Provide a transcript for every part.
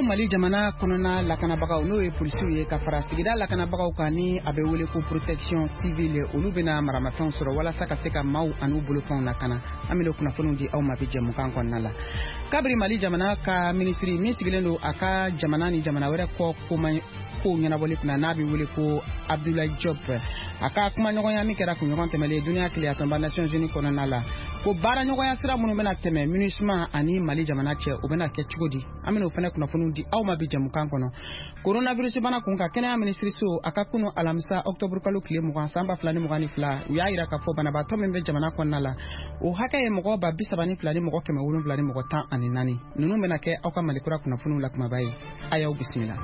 Ko Mali jamana kɔnɔna lakanabagaw, n'o ye polisiw ye, ka fara sigida lakanabagaw kan ni a bɛ wele ko protection civile, olu bɛna maramafɛnw sɔrɔ walasa ka se ka maaw an'u bolofɛnw lakana. An bɛna kunnafoniw di aw ma bi jɛmukan kɔnɔna la. Kabiri Mali jamana ka minisiri min sigilen don a ka jamana ni jamana wɛrɛ kɔ kow ɲɛnabɔli kunna, n'a bɛ wele ko Abdoulaye Diop, a ka kumaɲɔgɔnya min kɛra kunɲɔgɔn tɛmɛlen duniya keleyatɔnba Nations Unies kɔnɔna la, ko baaraɲɔgɔnya sira minnu bɛna tɛmɛ MINUSMA ani Mali jamana cɛ, o bɛna kɛ cogo di? An bɛna o fana kunnafoniw di aw ma bi jɛmukan kɔnɔ. Coronavirus bana kun kan, kɛnɛya minisiriso a ka kunu alamisa octobre kalo tile 20 san 2022, u y'a yira k'a fɔ banabaatɔ min bɛ jamana kɔnɔna la, o hakɛ ye mɔgɔ 32 ni mɔgɔ 714. Ninnu bɛna kɛ aw ka Malikura kunnafoniw la kumaba ye. A y'aw bisimila.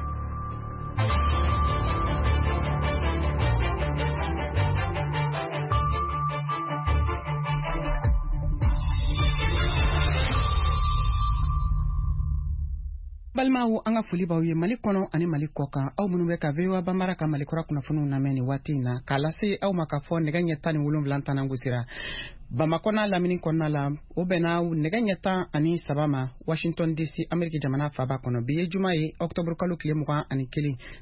Balimaw, an ka foli b'aw ye Mali kɔnɔ ani Mali kɔ kan, aw minnu bɛ ka VOA Banbara ka Malikura kunnafoniw lamɛn nin waati in na. K'a lase aw ma k'a fɔ nɛgɛ ɲɛ 17 tanan gosira Bamakɔ n'a lamini kɔnɔna la, o bɛnna nɛgɛ ɲɛ 13 ma Washington DC, Ameriki jamana faba kɔnɔ. Bi ye juma ye, octobre kalo tile 21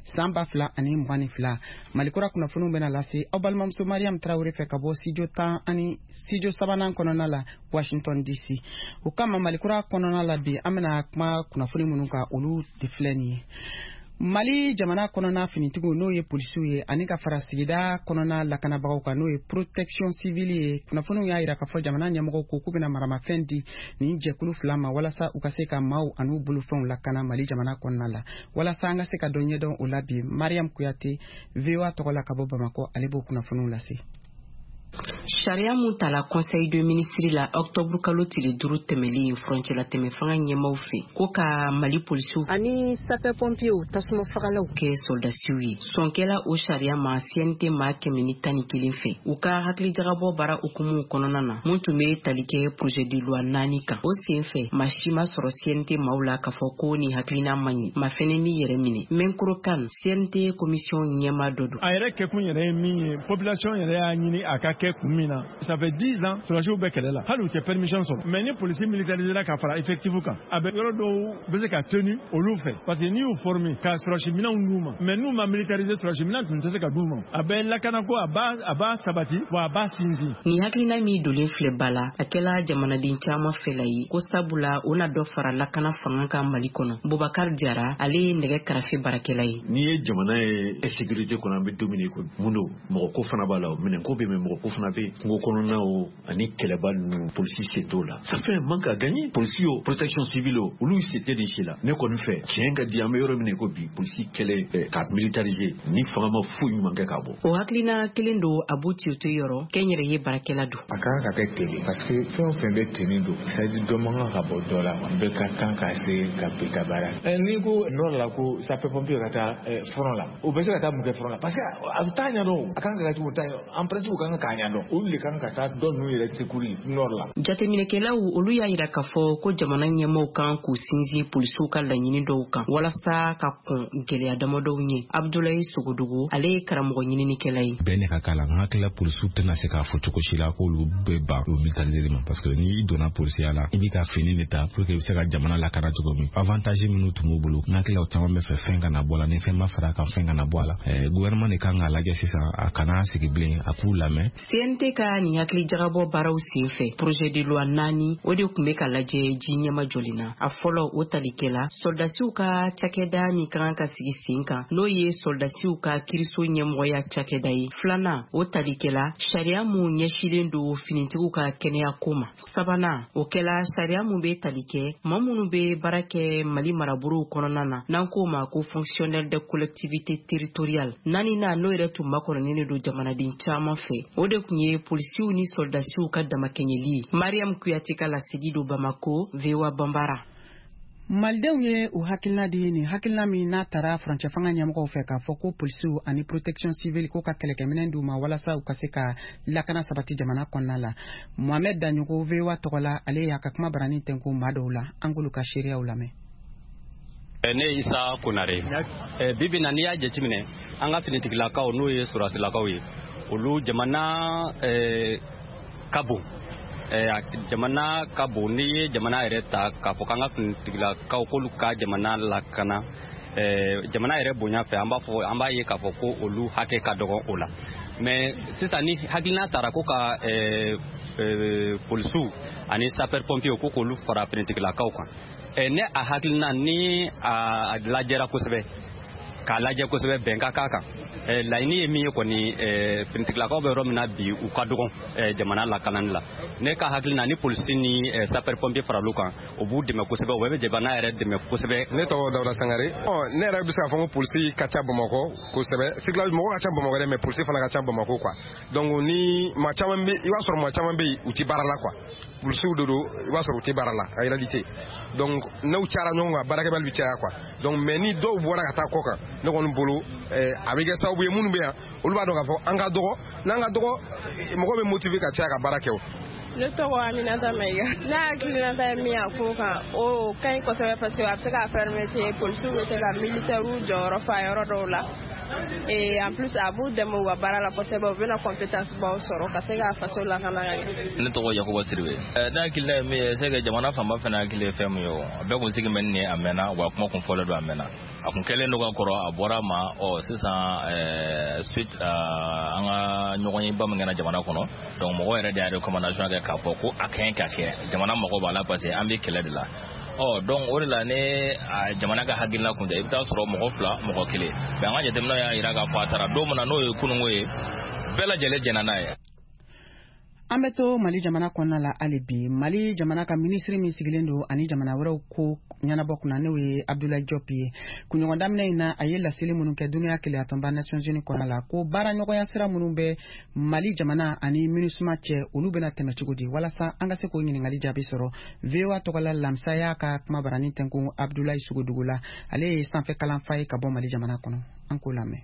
san 2022. Malikura kunnafoniw bɛna lase aw balimamuso Mariam Tarawele fɛ ka bɔ studio 10 ani studio sabanan kɔnɔna la Washington DC. O kama, Malikura kɔnɔna la bi, an bɛna kuma kunnafoni minnu kan, olu de filɛ nin ye. Mali jamana kɔnɔna finitigiw, n'o ye polisiw ye, ani ka fara sigida kɔnɔna lakanabagaw kan, n'o ye protection civile ye, kunnafoniw y'a yira k'a fɔ jamana ɲɛmɔgɔw ko k'u bɛna maramafɛn di nin jɛkulu fila ma walasa u ka se ka maaw an'u bolofɛnw lakana Mali jamana kɔnɔna la. Walasa an ka se ka dɔ ɲɛdɔn o la bi, Mariam Kuyate, VOA tɔgɔ la ka bɔ Bamakɔ, ale b'o kunnafoniw lase. Sariya mun tala conseil de ministre la octobre kalo tile 5 tɛmɛlen furancɛla tɛmɛ fanga ɲɛmaw fɛ, ko ka Mali polisiw ani sapeur pompiers, tasuma fagalaw, kɛ sɔrɔdasiw ye, sɔnkɛla o sariya ma CNT maa 111 fɛ u ka hakilijagabɔ baara hukumu kɔnɔna na, mun tun bɛ tali kɛ projet de loi naani kan. O sen fɛ, maa si ma sɔrɔ CNT maaw la k'a fɔ ko nin hakilina man ɲi. Ma fɛnɛ min yɛrɛ minɛ, Mɛnkoro kan CNT commission ɲɛma dɔ don. A yɛrɛ kɛkun yɛrɛ ye min ye, population yɛrɛ y'a ɲini a ka kɛ kun min na, ça fait 10 ans sɔrɔdasiw bɛ kɛlɛ la, hali u tɛ permission sɔrɔ. Mais ni polisi militarisera ka fara effectif kan, a bɛ yɔrɔ dɔw bɛ se ka tenu olu fɛ, parce que n'i y'u former ka sɔrɔdasi minɛnw d'u ma, mais n'u ma militariser, sɔrɔdasi minɛn tun tɛ se ka d'u ma. A bɛ lakanako, a b'a sabati wa a b'a sinsin. Nin hakilina min donnen filɛ ba la, a kɛla jamanaden caman fɛla ye, ko sabula o na dɔ fara lakana fanga kan Mali kɔnɔ. Bubakar Jara, ale ye nɛgɛ karafe baarakɛla ye. N'i ye jamana ye insécurité kɔnɔ, an bɛ don min na i ko mun don, mɔgɔ ko fana b'a la, minɛnko bɛ, mais mɔgɔ ko fana bɛ kungo kɔnɔna o ani kɛlɛba ninnu, polisi sen t'o la. Ça fait un manque à gagner. Polisi o, protection civile o, olu sen tɛ nin si la. Ne kɔni fɛ, tiɲɛ ka di, an bɛ yɔrɔ min na i ko bi, polisi kɛlɛ ka militariser ni fanga ma foyi ɲuman kɛ k'a bɔ. O hakilina kelen don Abu Tiote yɔrɔ, kɛnyɛrɛye baarakɛla don. A kan ka kɛ ten de, parce que fɛn o fɛn bɛ tenue don, c'est à dire dɔ man kan ka bɔ dɔ la, bɛɛ ka kan ka se ka bɛɛ ka baara. N'i ko nord la ko sapeur pompier ka taa front la, o bɛ se ka taa mun kɛ front la? Parce que a bɛ taa ɲɛdɔn, a kan ka kɛ cogo t'a en principe, u kan k'a ɲɛdɔn, olu de kan ka taa dɔ ninnu yɛrɛ secourir nord la. Jateminɛkɛlaw, olu y'a yira k'a fɔ ko jamana ɲɛmɔgɔw kan k'u sinsin polisiw ka laɲini dɔw kan walasa ka kɔn gɛlɛya damadɔw ɲɛ. Abdulayi Sogodogo, ale ye karamɔgɔ ɲininikɛla ye. Bɛɛ ne ka k'a la, n hakilila polisiw tɛna se k'a fɔ cogo si la k'olu bɛ ban o militariser ma, parce que n'i donna polisiya la, i b'i ka fini de ta pour que i bɛ se ka jamana lakana cogo min. Avantage minnu tun b'u bolo, n hakilila o caman bɛ fɛ fɛn kana bɔ a la. Ni fɛn ma fara a kan, fɛn kana bɔ a la. Gouvernement de kan k'a lajɛ sisan, a kana sigi bilen, a k'u lamɛn. CNT ka nin hakili jagabɔ baaraw sen fɛ, projet de loi naani, o de tun bɛ ka lajɛ ji ɲɛma jɔlen na. A fɔlɔ, o talikɛla sɔrɔdasiw ka cakɛda min ka kan ka sigi sen kan, n'o ye sɔrɔdasiw ka kiriso ɲɛmɔgɔya cakɛda ye. Filanan, o talikɛla sariya mun ɲɛsilen don finitigiw ka kɛnɛya ko ma. Sabanan, o kɛla sariya mun bɛ tali kɛ maa minnu bɛ baara kɛ Mali marabolow kɔnɔna na, n'an k'o ma ko fonctionnaire de collectivité territoriale. Naaninan, n'o yɛrɛ tun makɔnɔnen don jamanaden caman fɛ, o de tun ye polisiw ni sɔrɔdasiw ka damakɛɲɛli ye. Mariam Kuyate ka lasigi don Bamako, VOA Banbara. Malidenw ye u hakilina di nin hakilina min n'a taara furancɛ fanga ɲɛmɔgɔw fɛ, k'a fɔ ko polisiw ani protection civile ko ka kɛlɛkɛminɛn d'u ma walasa u ka se ka lakana sabati jamana kɔnɔna la. Mohamɛd Daɲɔgɔ, VOA tɔgɔ la, ale y'a ka kuma barani tɛnku maa dɔw la, an k'olu ka seereyaw lamɛn. Ne ye Isa Konare. Bibi na, n'i y'a jateminɛ, an ka finitigilakaw, n'o ye sɔrɔdasilakaw ye, olu jamana ka bon. Jamana ka bon, n'i ye jamana yɛrɛ ta k'a fɔ k'an ka finitigilakaw k'olu ka jamana lakana, jamana yɛrɛ bonya fɛ, an b'a fɔ, an b'a ye k'a fɔ ko olu hakɛ ka dɔgɔ o la. Mais sisan, ni hakilina taara ko ka polisiw ani sapeur pompier ko k'olu fara finitigilakaw kan, ne a hakilina ni a lajɛra kosɛbɛ, k'a lajɛ kosɛbɛ, bɛn ka k'a kan. Laɲini ye min ye kɔni, finitigilakaw bɛ yɔrɔ min na bi, u ka dɔgɔn jamana lakanani la. Ne ka hakilina, ni polisi ni sapeur pompier faral'u kan, o b'u dɛmɛ kosɛbɛ, o bɛ jamana yɛrɛ dɛmɛ kosɛbɛ. Ne tɔgɔ Dawuda Sangare. Ne yɛrɛ bɛ se k'a fɔ ko polisi ka ca Bamakɔ kosɛbɛ. Circulation, mɔgɔ ka ca Bamakɔ dɛ, mais polisi fana ka ca Bamakɔ quoi. Donc ni maa caman bɛ, i b'a sɔrɔ maa caman bɛ yen, u tɛ baara la quoi. Polisiw de don, i b'a sɔrɔ u tɛ baara la en réalité. Donc n'u cayara ɲɔgɔn kan, baarakɛbali bɛ caya quoi. Donc mais ni dɔw bɔra ka taa kɔ kan, ne kɔni bolo, a bɛ kɛ sababu ye, minnu bɛ yan, olu b'a dɔn k'a fɔ an ka dɔgɔ, n'an ka dɔgɔ, mɔgɔw bɛ motiver ka caya ka baara kɛ o. Ne tɔgɔ Aminata Mayiga. Ne hakilinata ye min ye a ko kan, o ka ɲi kosɛbɛ, parce que a bɛ se k'a permettre polisiw bɛ se ka militaires jɔyɔrɔ fa yɔrɔ dɔw la, et en plus a b'u dɛmɛ u ka baara la kosɛbɛ, u bɛna compétence baw sɔrɔ ka se k'a faso lakana ka ɲɛ. Ne tɔgɔ Yakuba Siribe. Ne hakilina ye min ye, c'est que jamana fanba fana hakili ye fɛn min ye, o a bɛɛ kun sigi bɛ nin ye a mɛnna wa, kuma kun fɔlen don a mɛnna, a kun kɛlen don ka kɔrɔ, a bɔra a ma. Ɔ sisan, suite an ka ɲɔgɔnyeba min kɛra jamana kɔnɔ, donc mɔgɔw yɛrɛ de y'a recommandation kɛ k'a fɔ ko a ka ɲi ka kɛ, jamana mago b'a la, parce que an bɛ kɛlɛ de la. Ɔ donc o de la, ne a jamana ka hakilina kun tɛ, i bɛ taa sɔrɔ mɔgɔ fila, mɔgɔ kelen, mais an ka jateminɛw y'a jira k'a fɔ a taara don min na, n'o ye kununko ye, bɛɛ lajɛlen jɛnna n'a ye. An bɛ to Mali jamana kɔnɔna la hali bi. Mali jamana ka minisiri min sigilen don ani jamana wɛrɛw ko ɲɛnabɔ kunna, n'o ye Abdoulaye Diop ye, kunɲɔgɔn daminɛ in na, a ye laseli minnu kɛ Duniya Kelenyatɔnba Nations Unies kɔnɔna la, ko baara ɲɔgɔnya sira minnu bɛ Mali jamana ani MINUSMA cɛ, olu bɛna tɛmɛ cogo di? Walasa an ka se k'o ɲininkali jaabi sɔrɔ, VOA tɔgɔla Lamisa y'a ka kuma barani tɛnkun Abdoulaye Sogodogo la. Ale ye sanfɛ kalanfa ye ka bɔ Mali jamana kɔnɔ. An k'o lamɛn.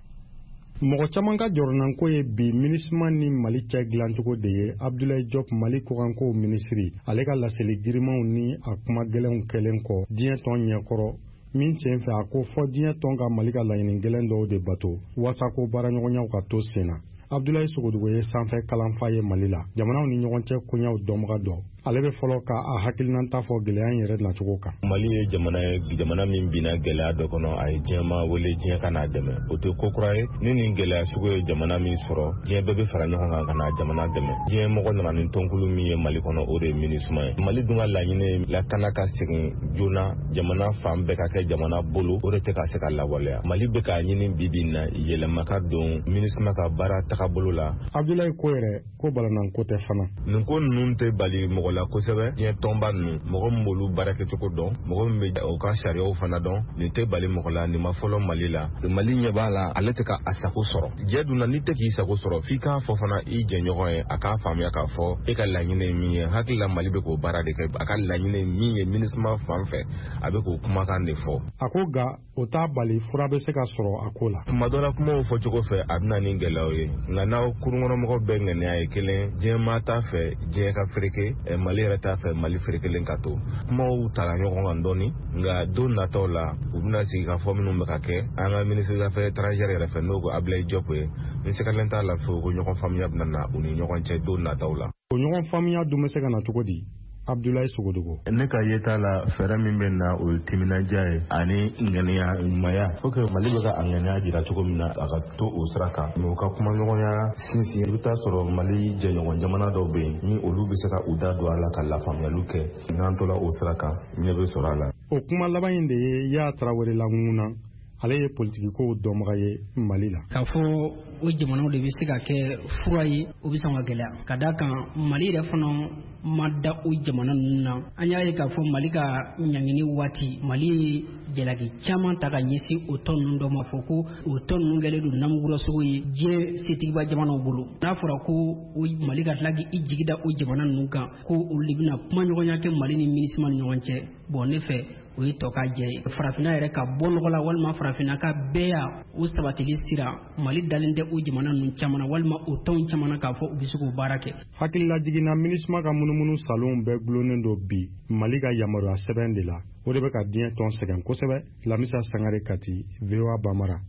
Mɔgɔ caman ka jɔrɔnanko ye bi MINUSMA ni Mali cɛ dilancogo de ye. Abdoulaye Diop, Mali kɔkankow minisiri, ale ka laseli girimanw ni a kuma gɛlɛnw kɛlen kɔ diɲɛ tɔn ɲɛkɔrɔ min sen fɛ, a ko fɔ diɲɛ tɔn ka Mali ka laɲini gɛlɛn dɔw de bato waasa ko baaraɲɔgɔnyaw ka to sen na. Abdoulaye Sogodogo ye sanfɛ kalanfa ye Mali la, jamanaw ni ɲɔgɔn cɛ koɲaw dɔnbaga dɔ. Ale bɛ fɔlɔ ka a hakilinata fɔ gɛlɛya in yɛrɛ nacogo kan. Mali ye jamana ye, jamana min binna gɛlɛya dɔ kɔnɔ, a ye diɲɛma wele, diɲɛ ka n'a dɛmɛ. O tɛ ko kura ye. Ni nin gɛlɛya sugu ye jamana min sɔrɔ, diɲɛ bɛɛ bɛ fara ɲɔgɔn kan ka na jamana dɛmɛ. Diɲɛ mɔgɔ nana ni tɔnkulu min ye Mali kɔnɔ, o de ye MINUSMA ye. Mali dun ka laɲini ye lakana ka segin joona, jamana fan bɛɛ ka kɛ jamana bolo, o de tɛ ka se ka lawaleya. Mali bɛ k'a ɲini bi bi in na, yɛlɛma ka don MINUSMA ka baara tagabolo la. Abdoulaye ko yɛrɛ ko balananko tɛ fana. Nin ko ninnu tɛ bali mɔgɔ la kosɛbɛ. Diɲɛ tɔnba ninnu, mɔgɔ min b'olu baarakɛcogo dɔn, mɔgɔ min bɛ o ka sariyaw fana dɔn, nin tɛ bali mɔgɔ la. Nin ma fɔlɔ Mali la. Mali ɲɛ b'a la, ale tɛ ka a sago sɔrɔ. Jɛ dun na, n'i tɛ k'i sago sɔrɔ, f'i k'a fɔ fana i jɛɲɔgɔn ye, a k'a faamuya k'a fɔ e ka laɲini ye min ye. Hakili la, Mali bɛ k'o baara de kɛ. A ka laɲini ye min ye MINUSMA fan fɛ, a bɛ k'o kumakan de fɔ. A ko nka o t'a bali fura bɛ se ka sɔrɔ a ko la. Tuma dɔ la, kumaw fɔcogo fɛ, a bɛ na ni gɛlɛyaw ye, nka n'aw kurunkɔnɔmɔgɔw bɛɛ ŋaniya ye kelen, diɲɛ maa t'a fɛ diɲɛ ka fereke, Mali yɛrɛ t'a fɛ Mali ferekelen ka to. Kumaw tala ɲɔgɔn kan dɔɔni, nka don nataw la, u bɛna sigi ka fɔ minnu bɛ ka kɛ an ka ministre des Affaires étrangères yɛrɛ fɛ, n'o ko Abdoulaye Diop ye, n sigalen t'a la fewu ko ɲɔgɔn faamuya bɛna na u ni ɲɔgɔn cɛ don nataw la. O ɲɔgɔn faamuya dun bɛ se ka na cogo di, Abdoulaye Sogodogo? Ne ka yeta la, fɛɛrɛ min bɛ na, o ye timinandiya ye ani ŋaniya ɲumanya. Faut que Mali bɛ ka a ŋaniya jira cogo min na, a ka to o sira kan, mais u ka kumaɲɔgɔnya sinsin. I bɛ taa sɔrɔ Mali jɛɲɔgɔn jamana dɔw bɛ yen ni olu bɛ se ka u da don a la ka lafaamuyaliw kɛ. N'an tola o sira kan, ɲɛ bɛ sɔrɔ a la. O kuma laban in de ye Ya Tarawele laŋuna. Ale ye politikikow dɔnbaga ye Mali la. K'a fɔ o jamanaw de bɛ se ka kɛ fura ye, o bɛ sɔn ka gɛlɛya, ka d'a kan Mali yɛrɛ fana ma da o jamana ninnu na. An y'a ye k'a fɔ Mali ka ɲangini waati, Mali ye jalaki caman ta ka ɲɛsin o tɔn ninnu dɔ ma, fɔ ko o tɔn ninnu kɛlen don namugurasogo ye diɲɛ setigiba jamanaw bolo. N'a fɔra ko o Mali ka tila k'i jigi da o jamana ninnu kan, ko olu de bɛna kumaɲɔgɔnya kɛ Mali ni MINUSMA ni ɲɔgɔn cɛ, bon, ne fɛ o ye tɔ ka jɛ ye. Farafinna yɛrɛ ka bɔ nɔgɔ la, walima farafinna ka bɛɛ o sabatili sira, Mali dalen tɛ o jamana ninnu caman na, walima o tɔnw caman na, k'a fɔ u bɛ se k'o baara kɛ. Hakililajiginna, MINUSMA ka munumunu salonw bɛɛ gulonnen don bi Mali ka yamaruya sɛbɛn de la. O de bɛ ka diɲɛ tɔn sɛgɛn kosɛbɛ. Lamisa Sangare, Kati, VOA Bamara.